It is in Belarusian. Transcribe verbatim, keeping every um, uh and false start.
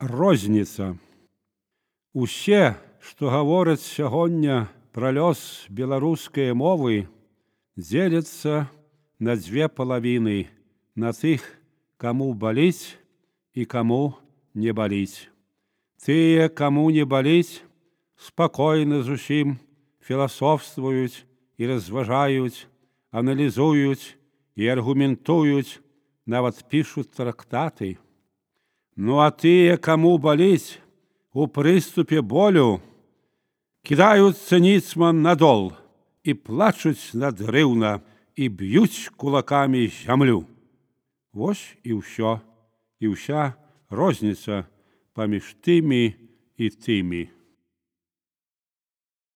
Розніца. Усе, што гавораць сягоння пра лёс беларускай мовы, дзеляцца на дзве палавіны, на тых, каму баліць і каму не баліць. Тыя, каму не баліць, спакойна зусім філасофствуюць і разважаюць, аналізуюць і аргументуюць, нават пішуць трактаты. Ну а тыя, каму баліць, у прыступе болю кідаюцца ніцман на дол і плачуць надрыўна і б'юць кулакамі зямлю. Вось і ўсё, і ўся розніца паміж тымі і тымі.